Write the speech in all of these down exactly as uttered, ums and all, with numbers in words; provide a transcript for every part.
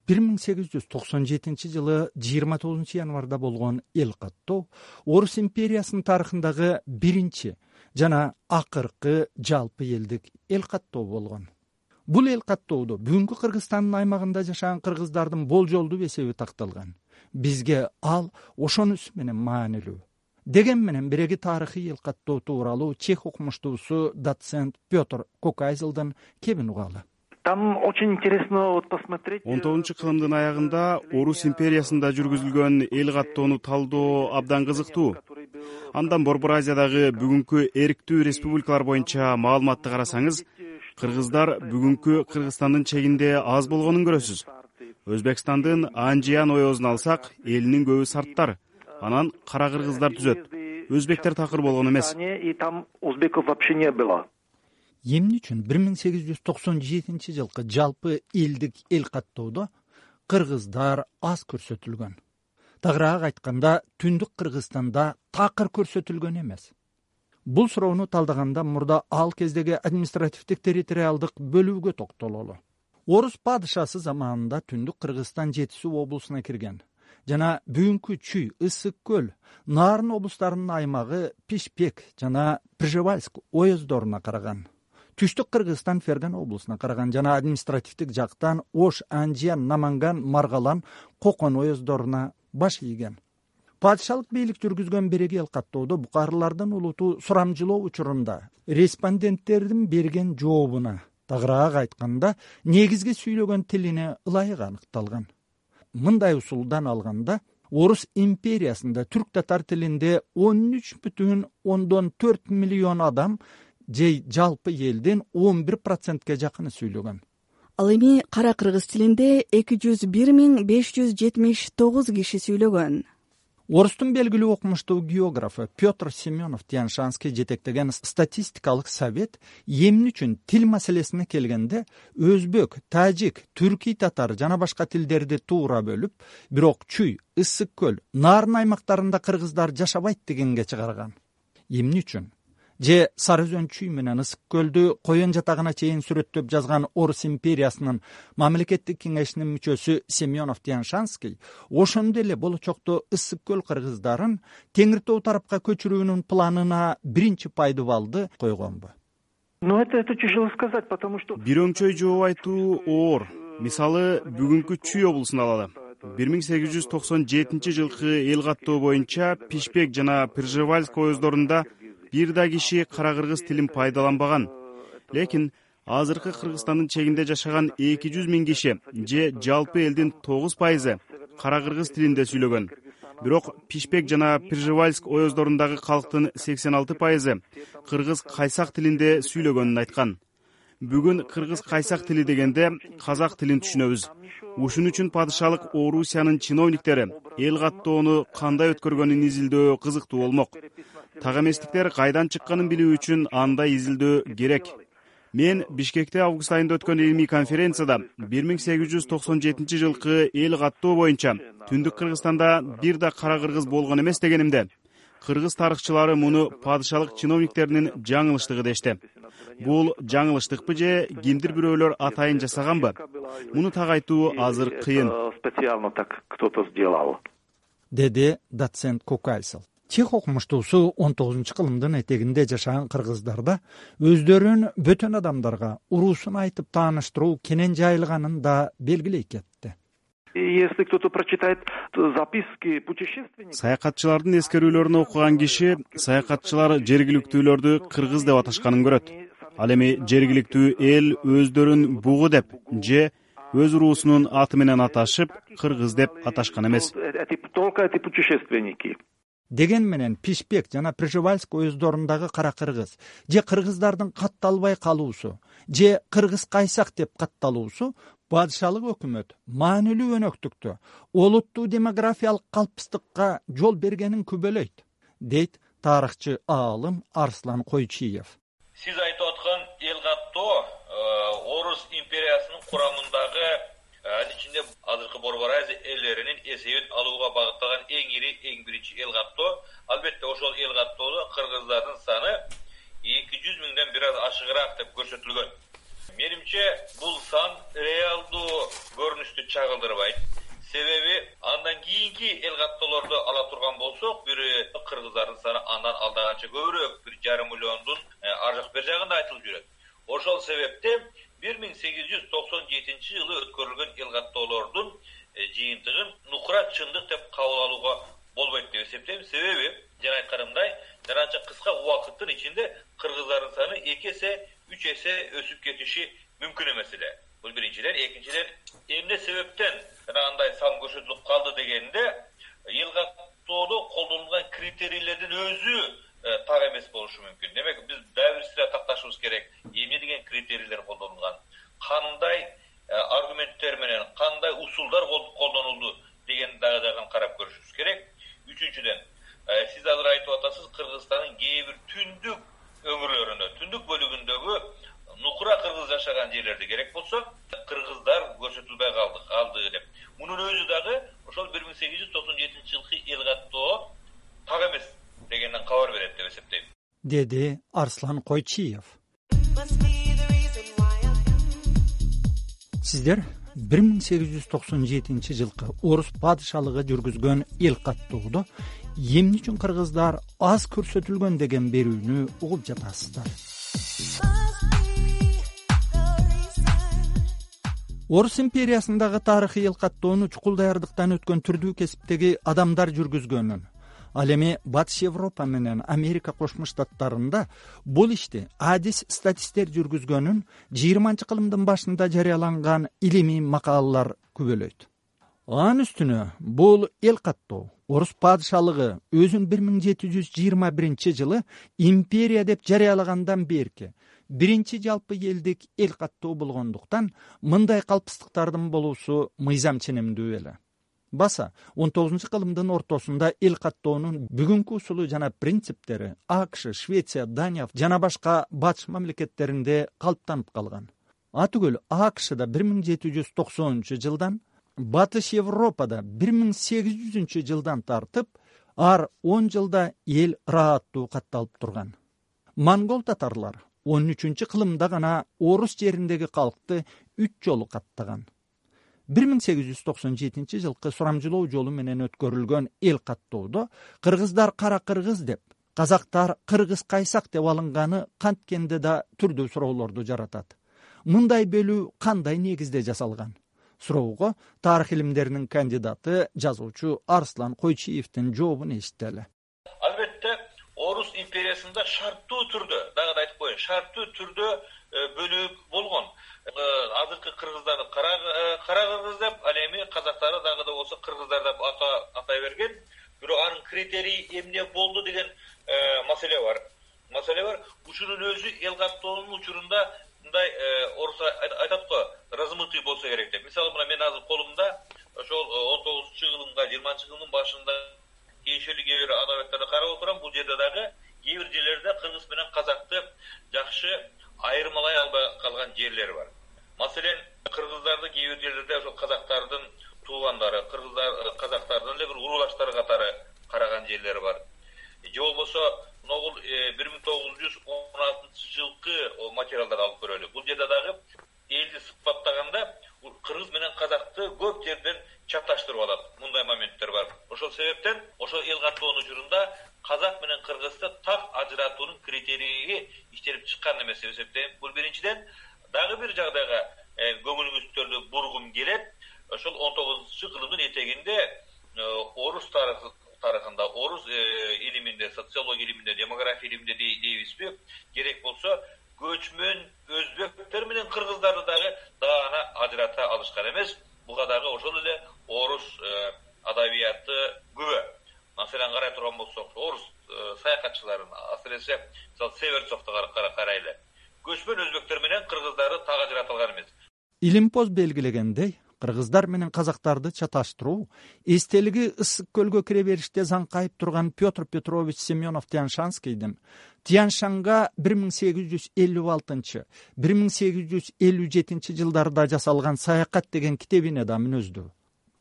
бир миң сегиз жүз токсон жетинчи жылы жыйырма тогузунчу январда болгон эл каттоо Орус империясынын тарыхындагы биринчи жана акыркы жалпы элдик эл каттоо болгон. Бул эл каттоодо бүгүнкү Кыргызстандын аймагында жашаган кыргыздардын болжолдуу эсеби такталган. Бизге ал ошонусу менен маанилүү. Деген менен биреги тарыхый эл каттоо тууралуу чех окумуштуусу доцент Петр Кокайзелден кебин угалы. Там очень интересно вот посмотреть. он тогузунчу кылымдын аягында Орус империясында жүргүзүлгөн эл каттоону талдоо абдан кызыктуу. Андан Борбор Азиядагы бүгүнкү эрктүү республикалар боюнча маалыматты карасаңыз, кыргыздар бүгүнкү Кыргызстандын чегинде аз болгонун көрөсүз. Өзбекстандын Анжиян оёзун алсак, элинин көбү сарттар, анан кара кыргыздар түзөт. Өзбектер такыр болгон эмес. И там узбеков вообще не было. Эмне үчүн бир миң сегиз жүз токсон жетинчи жылкы жалпы элдик эл каттоодо кыргыздар аз көрсөтүлгөн? Тагыраак айтканда, Түндүк Кыргызстанда такыр көрсөтүлгөн эмес. Бул суроону талдаганда мурда ал кездеги административдик территориалдык бөлүүгө токтололу. Орус падышасы заманында Түндүк Кыргызстан Жетису облусуна кирген жана бүгүнкү Чүй, Ысык көл, Нарын облустарынын аймагы Пишпек жана Пржевальск оездоруна караган. Түштүк Кыргызстан Ферган облусуна караган жана административдик жактан Ош, Анжиян, Наманган, Маргалан, Кокон оездоруна баш ийген. Падышалык бийлик жүргүзгөн биреги эл каттоодо букарылардын улуту сурамжылоо учурунда респонденттердин берген жообуна, тагыраак айтканда, негизги сүйлөгөн тилине ылайык аныкталган. Мындай усулдан алганда, Орус империясында түрк татар тилинде он үч бүтүн ондон төрт миллион адам же жалпы элдин он бир процентке жакыны сүйлөгөн. Ал эми кара кыргыз тилинде эки жүз бир миң беш жүз жетимиш тогуз киши сүйлөгөн. Орустун белгилүү окумуштуу географы Петр Семенов Тяншанский жетектеген статистикалык совет эмне үчүн тил маселесине келгенде өзбек, тажик, түркий татар жана башка тилдерди туура бөлүп, бирок Чүй, Ысык көл, Нарын аймактарында кыргыздар жашабайт дегенге чыгарган. Эмне үчүн? Же Сары Өзөн Чүй менен Ысык көлдү коен жатагына чейин сүрөттөп жазган Орус империясынын мамлекеттик кеңешинин мүчөсү Семенов Тяншанский ошондо эле болочокто Ысык көл кыргыздарын Теңир Тоо тарапка көчүрүүнүн планына биринчи пайдубалды койгонбу? Ну это это тяжело сказать, потому что Бир өңчөй жооп айтуу оор. Мисалы, бүгүнкү Чүй облусун алалы. бир миң сегиз жүз токсон жетинчи жылкы эл каттоо боюнча Пишпек жана Пржевальск оездорунда бир да киши кара кыргыз тилин пайдаланбаган. Лекин азыркы Кыргызстандын чегинде жашаган эки жүз миң киши же жалпы элдин тогуз пайызы кара кыргыз тилинде сүйлөгөн. Бирок Пишпек жана Пржевальск оездорундагы калктын сексен алты пайызы кыргыз кайсак тилинде сүйлөгөнүн айткан. Бүгүн кыргыз кайсак тили дегенде казак тилин түшүнөбүз. Ушун үчүн падышалык Орусиянын чиновниктери эл каттоону кандай өткөргөнүн изилдөө кызыктуу болмок. Так эместиктер кайдан чыкканын билүү үчүн андай изилдөө керек. Мен Бишкекте август айында өткөн илимий конференцияда бир миң сегиз жүз токсон жетинчи жылкы эл каттоо боюнча Түндүк Кыргызстанда бир да кара кыргыз болгон эмес дегенимде, кыргыз тарыхчылары муну падышалык чиновниктеринин жаңылыштыгы дешти. Бул жаңылыштыкпы же кимдир бирөөлөр атайын жасаганбы? Муну так айтуу азыр кыйын. Специально так кто-то сделал. Деди доцент Кокайсел. Чех окумуштуусу он тогузунчу кылымдын этегинде жашаган кыргыздарда өздөрүн бөтөн адамдарга уруусун айтып тааныштыруу кенен жайылганын да белгилей кетти. Если кто-то прочитает записки путешественников, Саякатчылардын эскерүүлөрүн окуган киши саякатчылар жергиликтүүлөрдү кыргыз деп аташканын көрөт. Ал эми жергиликтүү эл өздөрүн бугу деп же өз уруусунун аты менен аташып кыргыз деп аташкан эмес. только эти путешественники. Деген менен Пишпек жана Пржевальск оездорундагы кара кыргыз же кыргыздардын катталбай калуусу же кыргыз кайсак деп катталуусу падышалык өкмөт маанилүү өнөктүктү, олуттуу демографиялык калпыстыкка жол бергенин күбөлөйт, дейт тарыхчы аалым Арслан Койчиев. Сиз айтып аткан эл каттоо Орус империясынын курамындагы анын ичинде азыркы Борбор Азия элдеринин эсебин алууга багытталган эң ири, эң биринчи эл каттоо. Албетте ошол эл каттоодо кыргыздардын саны эки жүз миңден бир аз ашыгыраак деп көрсөтүлгөн. Менимче бул сан реалдуу көрүнүштү чагылдырбайт. Себеби андан кийинки эл каттоолорду ала турган болсок, бири кыргыздардын саны андан алдаганча көбүрөөк, бир жарым миллиондун ар жак бер жагында айтылып жүрөт. Ошол себептен бир миң сегиз жүз токсон жетинчи жылы өткөрүлгөн эл каттоолордун жыйынтыгын нукура чындык деп кабыл алууга болбойт деп эсептейм. Себеби жана айтканымдай, жана анча кыска убакыттын ичинде кыргыздардын саны эки эсе, үч эсе өсүп кетиши мүмкүн эмес эле. Бул биринчиден. Экинчиден, эмне себептен жана андай сан көрсөтүлүп калды дегенде, эл каттоодо колдонулган критерийлердин өзү так эмес болушу мүмкүн. Демек, биз дагы бир сыйра такташыбыз керек. Эмне деген критерийлер колдонулган, кандай аргументтер менен, кандай усулдар колдонулду деген дагы жагын карап көрүшүбүз керек. Үчүнчүдөн, сиз азыр айтып атасыз, Кыргызстандын кээ бир түндүк өңүрлөрүндө, түндүк бөлүгүндөгү нукура кыргыз жашаган жерлерде керек болсо, кыргыздар көрсөтүлбөй калды, калды деп. Мунун өзү дагы ошол бир миң сегиз жүз токсон жетинчи жылкы эл каттоо так эмес дегенден кабар берет деп эсептейм, деди Арслан Койчиев. Сиздер бир миң сегиз жүз токсон жетинчи жылкы орус падышалыгы жүргүзгөн эл каттоодо эмне үчүн кыргыздар аз көрсөтүлгөн деген берүүнү угуп жатасыздар. Орус империясындагы тарыхый эл каттоону чукул даярдыктан өткөн түрдүү кесиптеги адамдар жүргүзгөнүн, ал эми Батыш Европа менен Америка Кошмо Штаттарында бул ишти адис статисттер жүргүзгөнүн жыйырманчы кылымдын башында жарыяланган илимий макалалар күбөлөйт. Анын үстүнө бул эл каттоо орус падышалыгы өзүн бир миң жети жүз жыйырма биринчи жылы империя деп жарыялагандан берки биринчи жалпы элдик эл каттоо болгондуктан мындай калпыстыктардын болуусу мыйзам ченемдүү эле. Баса он тогузунчу кылымдын ортосунда эл каттоонун бүгүнкү усулу жана принциптери АКШ, Швеция, Дания жана башка батыш мамлекеттеринде калыптанып калган. Атүгүл АКШда бир миң жети жүз токсонунчу жылдан, Батыш Европада бир миң сегиз жүзүнчү жылдан тартып, ар он жылда эл ырааттуу катталып турган. Монгол татарлар он үчүнчү кылымда гана орус жериндеги калкты үч жолу каттаган. бир миң сегиз жүз токсон жетинчи жылкы сурамжылоо жолу менен өткөрүлгөн эл каттоодо кыргыздар кара кыргыз деп, казактар кыргыз кайсак деп алынганы канткенде да түрдүү суроолорду жаратат. Мындай бөлүү кандай негизде жасалган? Суроого тарых илимдеринин кандидаты, жазуучу Арслан Койчиевдин жообун эситтели. Албетте, орус империясында шарттуу түрдө, дагы да айтып коеюн, шарттуу түрдө бөлүк болгон. Азыркы кыргыздарды кара кыргыз деп, ал эми казактары дагы да болсо кыргыздар деп атай берген. Бирок анын критерийи эмне болду деген маселе бар. Маселе бар. Учурунун өзү эл каттоонун учурунда мындай орус айтат го, размытый болсо керек деп. Мисалы, мына мен азыр колумда ошол он тогузунчу кылымга жыйырманчы кылымдын башында кийинчерли кээ бир адабияттарды карап отурам. Бул жерде дагы кээ бир жерлерде кыргыз менен казакты жакшы айырмалай албай калган жерлер бар. Маселен, кыргыздарды кээ бир жерлерде ошол казактардын туугандары, кыргыздар казактардын эле бир уруулаштары катары караган жерлер бар. Же болбосо, могул бир миң тогуз жүз он алтынчы жылкы материалдар алып көрөлү. Бул жерде дагы элди сыпаттаганда кыргыз менен казакты көп жерден чаташтырып алат. Мындай моменттер бар. Ошол себептен ошол эл каттоонун учурунда казак менен кыргызды так ажыратуунун критерийи иштелип чыккан эмес деп эсептейм. Бул биринчиден. Дагы бир жагдайга көңүлүңүздөрдү бургум келет. Ошол он тогузунчу кылымдын этегинде орус тарыхында, орус илиминде, социология илиминде, демография илиминде дейбизби, керек болсо көчмөн өзбектер менен кыргыздарды дагы даана ажырата алышкан эмес. Буга дагы ошол эле орус адабияты күбө. Маселен, карай турган болсок, орус саякатчыларын, асыресе, мисалы, Северцовду карайлы. Көчмөн өзбектер менен кыргыздарды так ажырата алган эмес. Илимпоз белгилегендей, кыргыздар менен казактарды чаташтыруу эстелиги ысык көлгө кире бериште заңкайып турган Петр Петрович Семенов Тяньшанскийдин Тяньшанга бир миң сегиз жүз элүү алтынчы — бир миң сегиз жүз элүү жетинчи жылдарда жасалган Саякат деген китебине да мүнөздүү.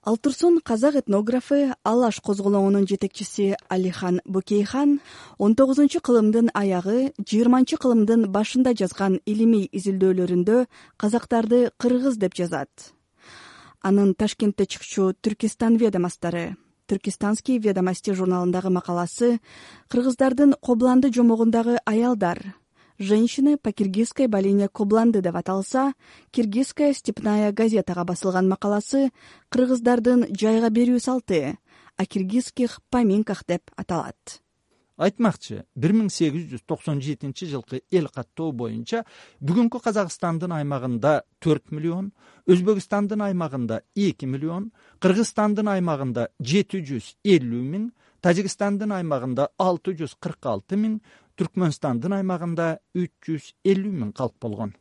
Ал турсун казак этнографы, Алаш козголоңунун жетекчиси Алихан Бөкейхан он тогузунчу кылымдын аягы, жыйырманчы кылымдын башында жазган илимий изилдөөлөрүндө казактарды кыргыз деп жазат. Анын Ташкентте чыкчу Түркистан ведомостары, Түркистанский ведомости журналындагы макаласы кыргыздардын Кобланды жомогундагы аялдар, женщины по киргизской долине Кобланды деп аталса, Киргизская степная газетага басылган макаласы кыргыздардын жайга берүү салты, о киргизских поминках деп аталат. Айтмакчы, бир миң сегиз жүз токсон жетинчи жылкы эл каттоо боюнча бүгүнкү Казакстандын аймагында төрт миллион, Өзбекстандын аймагында эки миллион, Кыргызстандын аймагында жети жүз элүү миң, Тажикстандын аймагында алты жүз кырк алты миң, Түркмөнстандын аймагында үч жүз элүү миң калк болгон.